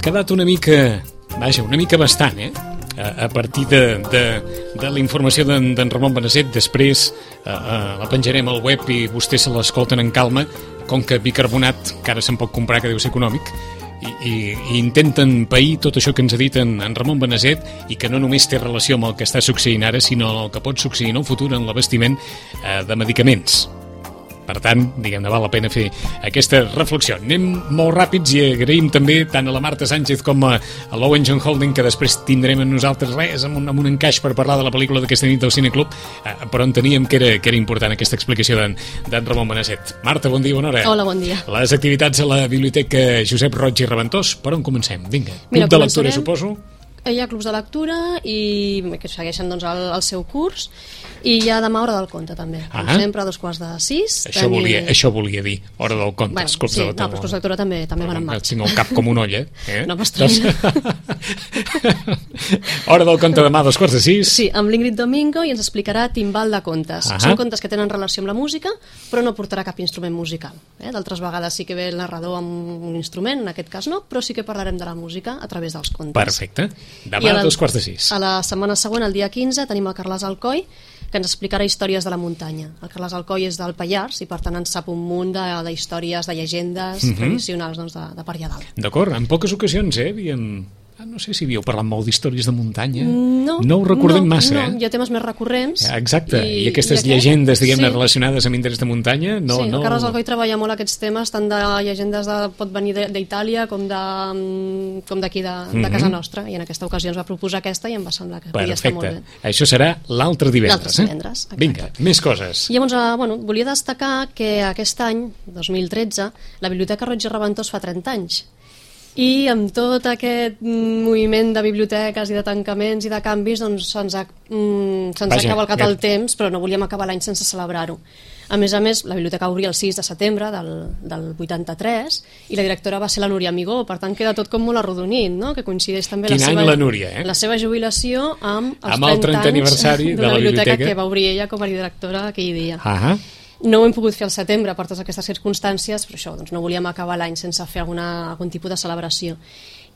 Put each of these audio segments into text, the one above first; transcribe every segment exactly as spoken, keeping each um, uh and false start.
quedat una mica, vaja, una mica bastant, eh? A, a partir de, de, de la informació d'en Ramon Beneset. Després eh, eh, la penjarem al web i vostès se l'escolten en calma, com que bicarbonat, que ara se'n pot comprar, que deu ser econòmic, i, i, i intenten pair tot això que ens ha dit en, en Ramon Beneset, i que no només té relació amb el que està succeint ara, sinó el que pot succeir en el futur en l'abastiment eh, de medicaments. Per tant, diguem-ne, val la pena fer aquesta reflexió. Anem molt ràpids i agraïm també tant a la Marta Sánchez com a, a l'Owen John Holding, que després tindrem en nosaltres res, amb un, amb un encaix per parlar de la pel·lícula d'aquesta nit del Cineclub, eh, però enteníem que era, que era important aquesta explicació d'en Ramon Beneset. Marta, bon dia, bona hora. Hola, bon dia. Les activitats a la Biblioteca Josep Roig i Reventós, per on comencem? Vinga, Mira, club de lectura, suposo? Hi ha clubs de lectura i que segueixen doncs, el, el seu curs, i hi ha demà hora del conte també, com ah. sempre a dos quarts de sis. Això, tenim... volia, això volia dir, hora del conte. Bueno, els clubs sí, de no, però els clubs de lectura també, també van en marxa. Tinc el cap com un olla, eh? No m'estranya. Hora del conte demà a dos quarts de sis. Sí, amb l'Ingrid Domingo, i ens explicarà Timbal de contes. Ah. Són contes que tenen relació amb la música, però no portarà cap instrument musical. Eh? D'altres vegades sí que ve el narrador amb un instrument, en aquest cas no, però sí que parlarem de la música a través dels contes. Perfecte. Demà a dos quarts de sis. A la setmana següent, el dia quinze, tenim el Carles Alcoi, que ens explicarà històries de la muntanya. El Carles Alcoi és del Pallars i per tant ens sap un munt d'històries, de, de llegendes uh-huh. tradicionals doncs, de, de per allà dalt. D'acord, en poques ocasions eh, havíem... Ah, no sé si havíeu parlat molt d'històries de muntanya. No, no ho recordem no, massa, no, eh? Hi ha temes més recurrents. Exacte, i, i aquestes i aquest? llegendes, diguem-ne, sí. relacionades amb interès de muntanya, no... Sí, no... el Carles Alcoi treballa molt aquests temes, tant de llegendes de, pot venir d'Itàlia com de com d'aquí de, de mm-hmm. casa nostra, i en aquesta ocasió ens va proposar aquesta i em va semblar que podia estar molt bé. Això serà l'altre divendres, l'altre divendres, eh? Vinga, més coses. I llavors, bueno, volia destacar que aquest any, dos mil tretze, la Biblioteca Roig i Reventós fa trenta anys. I amb tot aquest moviment de biblioteques i de tancaments i de canvis, doncs se'ns ha, mm, se'ns ha cavalcat el temps, però no volíem acabar l'any sense celebrar-ho. A més a més, la biblioteca obria el sis de setembre del, del vuitanta-tres i la directora va ser la Núria Amigó, per tant queda tot com molt arrodonit, no? Que coincideix també Quin la any seva, la Núria, eh? la seva jubilació amb els amb el trentè aniversari de la biblioteca, biblioteca que va obrir ella com a directora aquell dia. Ah. No ho hem pogut fer al setembre per totes aquestes circumstàncies, però això, doncs no volíem acabar l'any sense fer alguna, algun tipus de celebració.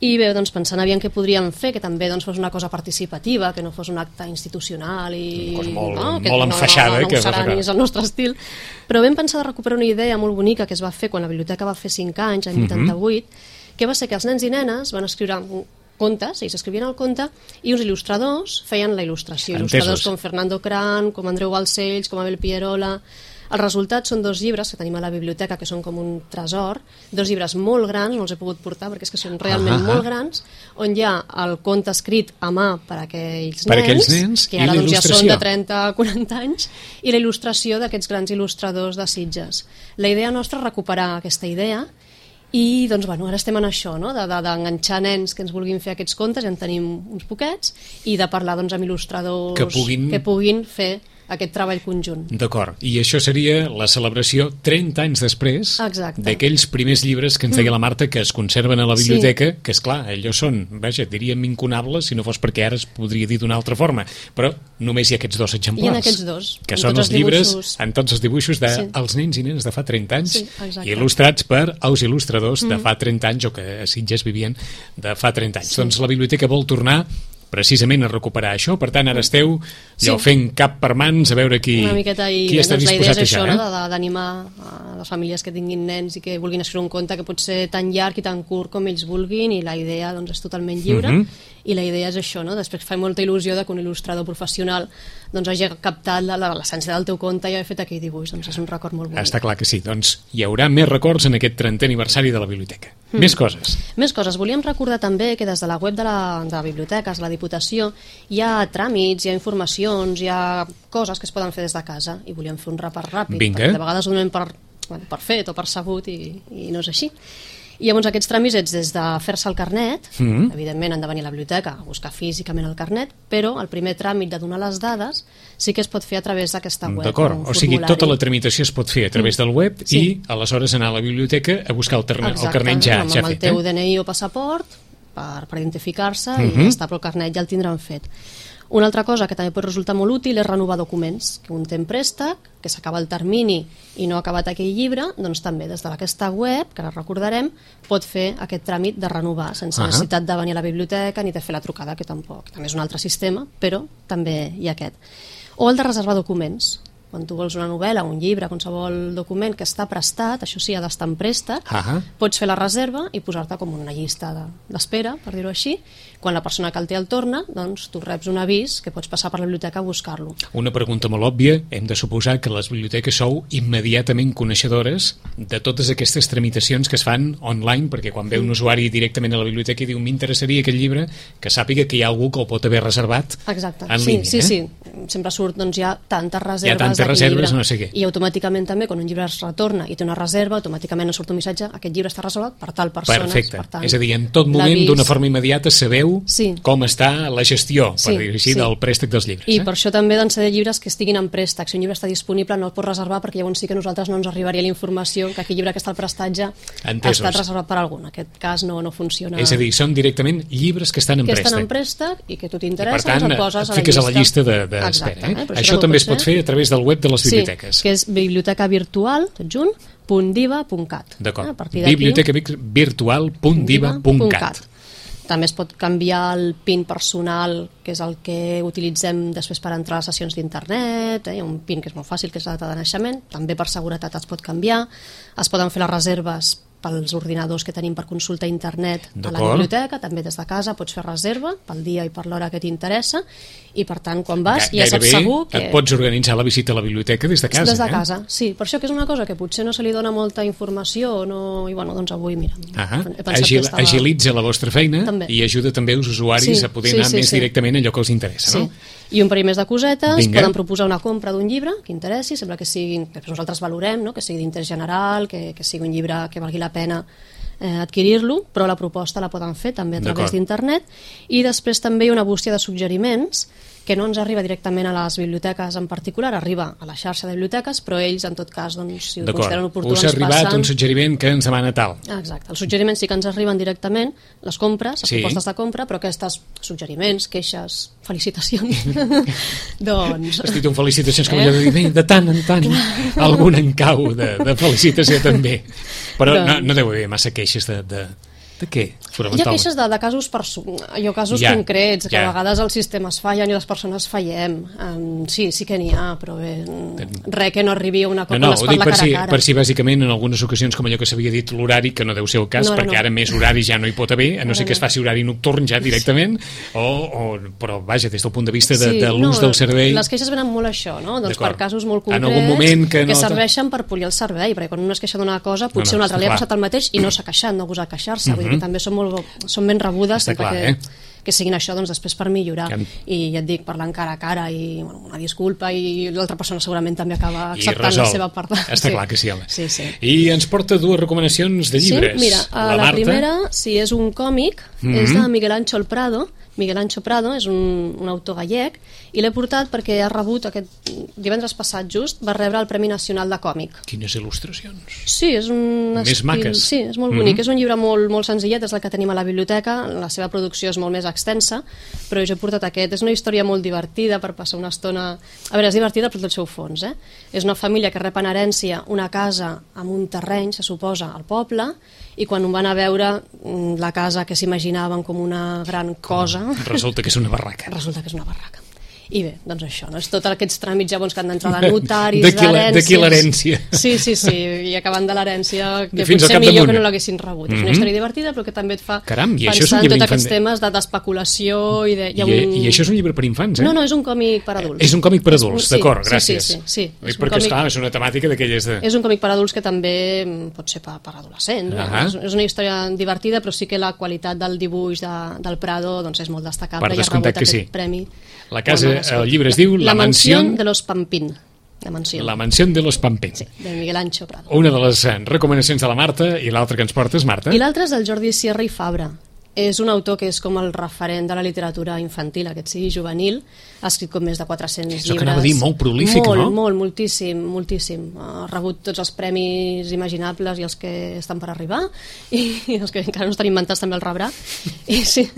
I bé, doncs pensant aviam què podríem fer, que també doncs, fos una cosa participativa, que no fos un acte institucional i... Una cosa molt, no, que molt enfaixada. No, no, no, no que ho serà ni és el nostre estil. Però vam pensar de recuperar una idea molt bonica que es va fer quan la biblioteca va fer cinc anys, en vuitanta-vuit, mm-hmm. que va ser que els nens i nenes van escriure contes, ells escrivien el conte, i uns il·lustradors feien la il·lustració. Entesos. Il·lustradors com Fernando Cran, com Andreu Balcells, com Abel Pierola. El resultat són dos llibres que tenim a la biblioteca, que són com un tresor, dos llibres molt grans, no els he pogut portar perquè és que són realment ah, ah, molt grans, on hi ha el conte escrit a mà per a aquells per nens, aquells nens que ara doncs, ja són de trenta a quaranta anys, i la il·lustració d'aquests grans il·lustradors de Sitges. La idea nostra és recuperar aquesta idea, i doncs, bueno, ara estem en això, no? d'enganxar nens que ens vulguin fer aquests contes, ja en tenim uns poquets, i de parlar doncs, amb il·lustradors que puguin, que puguin fer aquest treball conjunt. D'acord, i això seria la celebració trenta anys després d'aquells primers llibres que ens deia la Marta que es conserven a la biblioteca, sí. que és clar, allò són, vaja, diríem incunables si no fos perquè ara es podria dir d'una altra forma, però només hi ha aquests dos exemplars. Hi ha aquests dos. Que són els llibres, en tots els dibuixos dels sí. nens i nenes de fa trenta anys, sí, il·lustrats per els il·lustradors mm. de fa trenta anys o que a Sitges vivien de fa trenta anys. Sí. Doncs la biblioteca vol tornar precisament a recuperar això, per tant ara esteu allò, sí. fent cap per mans a veure qui, una miqueta i, qui està doncs, disposat a això, eh? no? d'animar a les famílies que tinguin nens i que vulguin escriure un conte que pot ser tan llarg i tan curt com ells vulguin, i la idea doncs, és totalment lliure, mm-hmm. i la idea és això, no? Després fa molta il·lusió de que un il·lustrador professional doncs, hagi captat l'essència del teu conte i hagi fet aquell dibuix, doncs és un record molt bonic. Està clar que sí, doncs hi haurà més records en aquest trentè aniversari de la biblioteca. Mm. Més coses. Més coses. Volíem recordar també que des de la web de la, de la biblioteca, la Diputació, hi ha tràmits, hi ha informacions, hi ha coses que es poden fer des de casa, i volíem fer un repàs ràpid. Vinga. De vegades ho donem per, bueno, per fet o per sabut i, i no és així. I llavors aquests tràmits ets des de fer-se el carnet, mm. evidentment han de venir a la biblioteca a buscar físicament el carnet, però el primer tràmit de donar les dades sí que es pot fer a través d'aquesta web. D'acord, o sigui, tota la tramitació es pot fer a través del web sí. i aleshores anar a la biblioteca a buscar el, el carnet ja, amb ja el fet. Amb el teu eh? D N I o passaport per, per identificar-se mm-hmm. i ja està, però el carnet ja el tindran fet. Una altra cosa que també pot resultar molt útil és renovar documents, que un té en préstec, que s'acaba el termini i no ha acabat aquell llibre, doncs també des d'aquesta web, que ara recordarem, pot fer aquest tràmit de renovar, sense uh -huh. necessitat de venir a la biblioteca ni de fer la trucada, que tampoc. També és un altre sistema, però també hi ha aquest. O el de reservar documents. Quan tu vols una novel·la, un llibre, qualsevol document que està prestat, això sí, ha d'estar en préstec, uh -huh. pots fer la reserva i posar-te com una llista d'espera, per dir-ho així. Quan la persona que el té el torna, doncs tu reps un avís que pots passar per la biblioteca a buscar-lo. Una pregunta molt òbvia, hem de suposar que les biblioteques sou immediatament coneixedores de totes aquestes tramitacions que es fan online, perquè quan ve un usuari directament a la biblioteca i diu m'interessaria aquest llibre, que sàpiga que hi ha algú que el pot haver reservat Exacte. en sí, línia. Sí, eh? sí, sempre surt, doncs hi ha tantes reserves, hi ha tantes reserves, no sé què. I automàticament també, quan un llibre es retorna i té una reserva, automàticament ens surt un missatge, aquest llibre està reservat per tal persona. Perfecte, per tant, és a dir, en tot moment, d'una forma immediata, sabeu sí. com està la gestió, per sí, dir-ho així, sí. del préstec dels llibres. I eh? per això també doncs, de llibres que estiguin en préstec. Si un llibre està disponible no el pots reservar perquè llavors sí que a nosaltres no ens arribaria la informació que aquell llibre que està al prestatge Entesos. ha estat reservat per algú. En aquest cas no, no funciona. És a dir, són directament llibres que estan en que préstec. estan en préstec i que tu t'interessa, per tant, et poses et fiques a la llista, a la llista d'espera. De, de eh? Això també, també es pot fer a través del web de les biblioteques. Sí, que és biblioteca virtual, tot junt, punt diva punt cat. D'acord, biblioteca virtual punt diva punt cat. També es pot canviar el PIN personal, que és el que utilitzem després per entrar a les sessions d'internet, eh? un PIN que és molt fàcil, que és la data de naixement, també per seguretat es pot canviar, es poden fer les reserves pels ordinadors que tenim per consulta a internet a la biblioteca, també des de casa pots fer reserva pel dia i per l'hora que t'interessa i per tant quan vas ja, ja saps segur que... et pots organitzar la visita a la biblioteca des de casa. Des de eh? casa, sí, per això que és una cosa que potser no se li dona molta informació no... i bueno, doncs avui, mira, ah he pensat Agil, que estava... agilitza la vostra feina també. I ajuda també els usuaris sí, a poder sí, anar sí, més sí. directament a allò que els interessa, no? Sí. I un parell més de cosetes, Vinga. Poden proposar una compra d'un llibre que interessi, sembla que sigui, que nosaltres valorem, no? Que sigui d'interès general, que, que sigui un llibre que valgui la pena eh, adquirir-lo, però la proposta la poden fer també a través d'internet. I després també hi ha una bústia de suggeriments que no ens arriba directament a les biblioteques en particular, arriba a la xarxa de biblioteques, però ells, en tot cas, doncs, si ho consideren oportú, ens passen... Us ha arribat un suggeriment que ens demana tal. Exacte, els suggeriments sí que ens arriben directament, les compres, les sí. propostes de compra, però aquests suggeriments, queixes, felicitacions, doncs... Has dit un felicitacions com eh? allò de dir, de tant en tant, algun encau de, de felicitació també. Però doncs... no, no deu haver massa queixes de... de... De què? Hi ha queixes de, de casos, allò, casos ja, concrets, que ja. a vegades els sistemes fallen i les persones fallem. Um, sí, sí que n'hi ha, però bé, res que no arribi a una cosa no, no, on es parla per cara si, a cara. Per si bàsicament en algunes ocasions, com allò que s'havia dit l'horari, que no deu ser el cas, no, perquè no. ara més horari ja no hi pot haver, a no ser que es faci horari nocturn ja directament, sí. o, o, però vaja, des del punt de vista de, sí, de l'ús no, del servei... Les queixes venen molt això, no? Doncs per casos molt concrets, en algun moment que, no... que serveixen per polir el servei, perquè quan un es queixa d'una cosa, potser no, no, un altre li ha passat el mateix i no s'ha queixat, no ha gosat queixar-se, uh -huh. vull dir que també són molt són ben rebudes sempre clar, que, eh? que siguin això doncs, després per millorar que... i ja et dic, parlant cara a cara i bueno, una disculpa i l'altra persona segurament també acaba acceptant la seva part. Està sí. clar que sí, home. Sí, sí. I ens porta dues recomanacions de llibres. Sí, mira, la, la primera, si és un còmic, mm-hmm. és de Miguel Ancho Prado. Miguel Ancho Prado és un, un autor gallec i l'he portat perquè ha rebut aquest divendres passat just, va rebre el Premi Nacional de Còmic. Quines il·lustracions. Sí, és un més estil, maques. Sí, és molt bonic, mm-hmm. és un llibre molt, molt senzillet, és el que tenim a la biblioteca, la seva producció és molt més extensa, però jo he portat aquest, és una història molt divertida per passar una estona, a veure, és divertida per tot el seu fons, eh? És una família que rep en herència una casa amb un terreny, se suposa, al poble, i quan ho van a veure la casa que s'imaginaven com una gran cosa resulta que és una barraca resulta que és una barraca i bé, doncs això, no? És tots aquests tràmits llavors que han d'entrar de notaris, d'herències d'aquí l'herència sí, sí, sí, i acabant de l'herència que potser millor que no l'haguessin rebut mm-hmm. és una història divertida però que també et fa Caram, pensar en tots aquests temes d'especulació i, de, I, un... i això és un llibre per infants, eh? No, no, és un còmic per adults és un còmic per adults, sí, d'acord, sí, gràcies sí, sí, sí, sí. perquè còmic... esclar, és una temàtica d'aquelles de... és un còmic per adults que també pot ser per, per adolescents uh-huh. és, és una història divertida però sí que la qualitat del dibuix de, del Prado doncs és molt destacable per i ha rebut aquest sí. premi. La casa, el llibre es diu La, la mansión de los Pampín. La mansió. La mansió de los Pampín. Sí, de Miguel Ancho Prado. Una de les recomanacions de la Marta i l'altra que ens portes, Marta. I l'altra és del Jordi Sierra i Fabra. És un autor que és com el referent de la literatura infantil, aquest sí, juvenil. Ha escrit com més de quatre-cents Això llibres. que anava a dir, molt prolífic, molt, no? Molt, moltíssim, moltíssim. Ha rebut tots els premis imaginables i els que estan per arribar, i, i els que encara no estan inventats també el rebrà. I sí,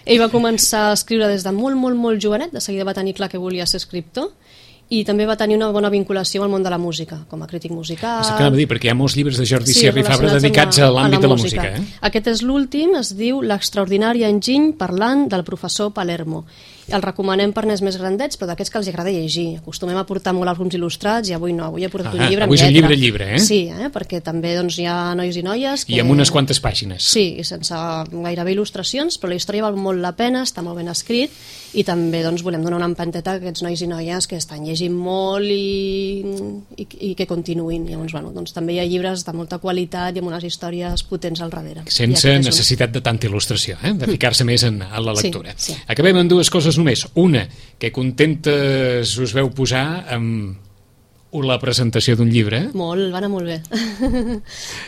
ell va començar a escriure des de molt, molt, molt jovenet, de seguida va tenir clar que volia ser escriptor, i també va tenir una bona vinculació amb el món de la música, com a crític musical. Això que anava a dir, perquè hi ha molts llibres de Jordi Sí, Sierra i Fabra relacionats dedicats amb a la- l'àmbit a la de la música. música. Eh? Aquest és l'últim, es diu L'extraordinari enginy parlant del professor Palermo. El recomanem per nens més grandets, però d'aquests que els agrada llegir. Acostumem a portar molt àlbums il·lustrats i avui no, avui he portat Ah, un llibre avui és amb un lletra. llibre llibre, eh? Sí, eh? perquè també doncs, hi ha nois i noies que... I amb unes quantes pàgines. Sí, i sense gairebé il·lustracions, però la història val molt la pena, està molt ben escrit, i també doncs, volem donar una empanteta a aquests nois i noies que estan llegint molt i, i, i que continuïn. Llavors, bueno, doncs, també hi ha llibres de molta qualitat i amb unes històries potents al darrere. Sense I aquest és un- necessitat de tanta il·lustració, eh? de ficar-se més en, en la Sí, lectura. sí. Acabem amb dues coses només. Una, que contentes us veu posar amb la presentació d'un llibre. Molt, va anar molt bé.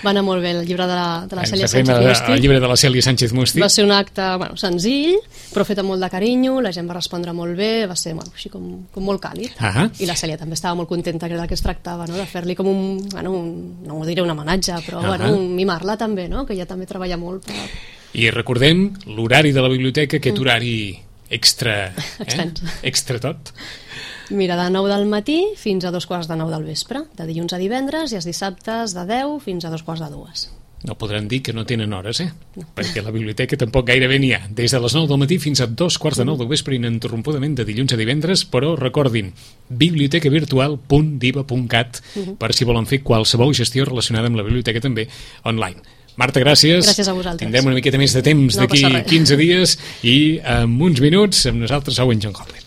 Va anar molt bé el llibre de la, de la Ens Cèlia referim Sánchez a- Musti. al llibre de la Cèlia Sánchez Musti. Va ser un acte bueno, senzill, però fet amb molt de carinyo, la gent va respondre molt bé, va ser bueno, així com, com molt càlid. Ah. I la Cèlia també estava molt contenta, que era del que es tractava, no? de fer-li com un, bueno, un, no ho diré un homenatge, però Ah. bueno, un mimar-la també, no? que ella també treballa molt. Per... I recordem l'horari de la biblioteca, aquest horari extra, eh? Extens. extra tot. Mira, de nou del matí fins a dos quarts de nou del vespre, de dilluns a divendres, i els dissabtes de deu fins a dos quarts de dues. No podran dir que no tenen hores, eh? No. Perquè a la biblioteca tampoc gairebé n'hi ha. Des de les nou del matí fins a dos quarts de nou del vespre ininterrompudament de dilluns a divendres, però recordin, biblioteca virtual punt diva punt cat uh-huh. per si volen fer qualsevol gestió relacionada amb la biblioteca també online. Marta, gràcies. Gràcies a vosaltres. Tindrem una miqueta més de temps No d'aquí passa res. quinze dies i en uns minuts amb nosaltres Owen John Hoppe.